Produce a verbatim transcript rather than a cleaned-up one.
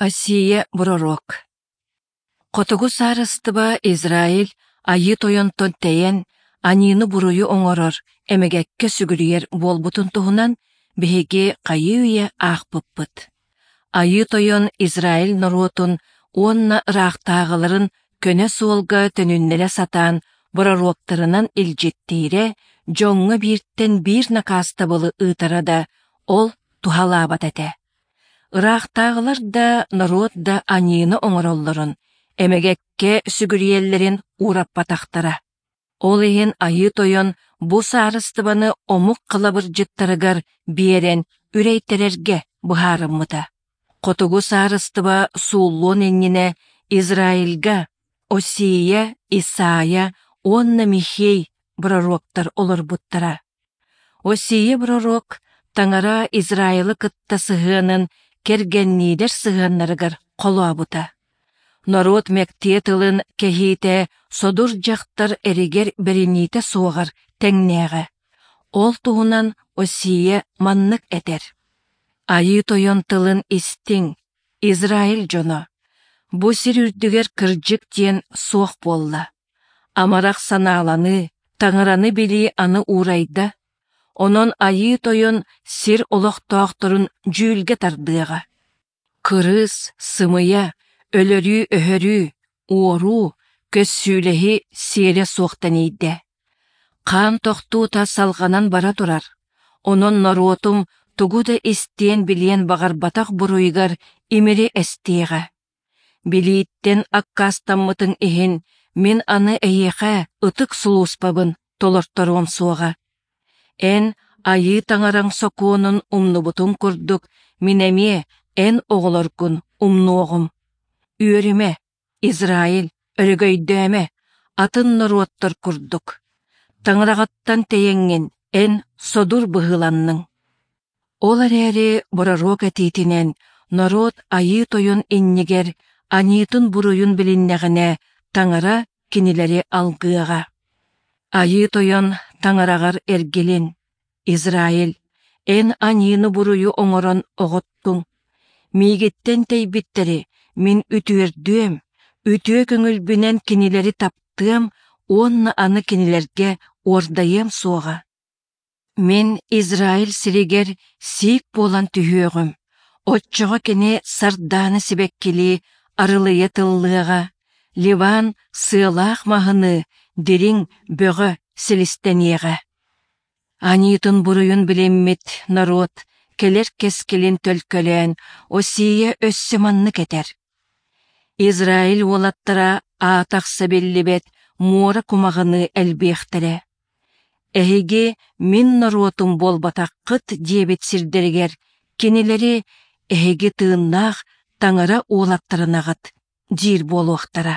Осия пророк Хотугу саарыстыба Израиль Айыы Тойонтон тэйэн, аньыыны-буруйу оҥорор, эмэгэккэ сүгүрүйэр буолбутун туһунан биһиги хайыы-үйэ аахпыппыт. Айыы Тойон Израиль норуотун уонна ыраахтааҕыларын көнө суолга төнүннэрэ сатаан пророктарынан илдьиттиирэ, дьоҥҥо бииртэн биир накаастабылы ыытара да, ол туһалаабат этэ. Ыраахтааҕылар да, норуот да аньыыны оҥороллорун, эмэгэккэ сүгүрүйэллэрин уураппатахтара. Ол иһин Айыы Тойон бу саарыстыбаны омук халабырдьыттарыгар биэрэн үрэйтэрэргэ быһаарыммыта. Хотугу саарыстыба сууллуон иннинэ Израильга Осия, Исаия уонна Михей пророктар олорбуттара. Осия пророк Таҥара Израилы кытта сыһыанын кэргэнниилэр сыһыаннарыгар холообута. Норуот мэктиэ тылын кэһиитэ содур дьахтар эригэр бэриниитэ суоҕар тэҥнээҕэ. Ол туһунан Осия маннык этэр: Айыы Тойон тылын истиҥ, Израиль дьоно! Бу сир үрдүгэр кырдьык диэн суох буолла. Амарах санааланыы, Таҥараны билии аны уурайда. Онон Айыы Тойон сир олохтоохторун дьүүлгэ тардыаҕа. Кырыыс, сымыйа, өлөрүү-өһөрүү, уоруу, көссүүлэһии сиэрэ суох тэнийдэ. Хаан тохтуута салҕанан бара турар. Онон норуотум тугу да истиэн-билиэн баҕарбатах буруйугар имири эстиэҕэ. Билииттэн аккаастаммытыҥ иһин мин аны эйиэхэ ытык сулууспабын толорторуом суоҕа. Эн Айыы Таҥараҥ сокуонун умнубутуҥ курдук, мин эмиэ эн оҕолоргун умнуоҕум. Үөрүмэ, Израиль, өрөгөйдөөмө, атын норуоттар курдук. Таҥараҕыттан тэйэҥҥин эн содур быһыыланныҥ. Ол эрээри пророк этиитинэн норуот Айыы Тойон иннигэр аньыытын-буруйун билиннэҕинэ, Таҥара кинилэри алгыаҕа. Айыы Тойон Таҥараҕар эргилин, Израиль, эн аньыыны-буруйу оҥорон оҕоттуҥ. Миигиттэн тэйбиттэри мин үтүөрдүөм, үтүө көҥүлбүнэн кинилэри таптыам уонна аны кинилэргэ уордайыам суоҕа. Мин Израиль сиригэр сиик буолан түһүөҕүм, оччоҕо кини сардаана сибэккилии арылыйа тыллыаҕа, Ливан сыалаах маһыныы дириҥ бөҕө силистэниэҕэ. Аньыытын-буруйун билиммит норуот кэлэр кэскилин төлкөлөөн Осия өссө маннык этэр: Израиль уолаттара аатахса биллибэт муора кумаҕыныы элбиэхтэрэ. Эһиги мин норуотум буолбатаххыт диэбит сирдэригэр кинилэри эһиги тыыннаах Таҥара уолаттарынаҕыт диир буолуохтара.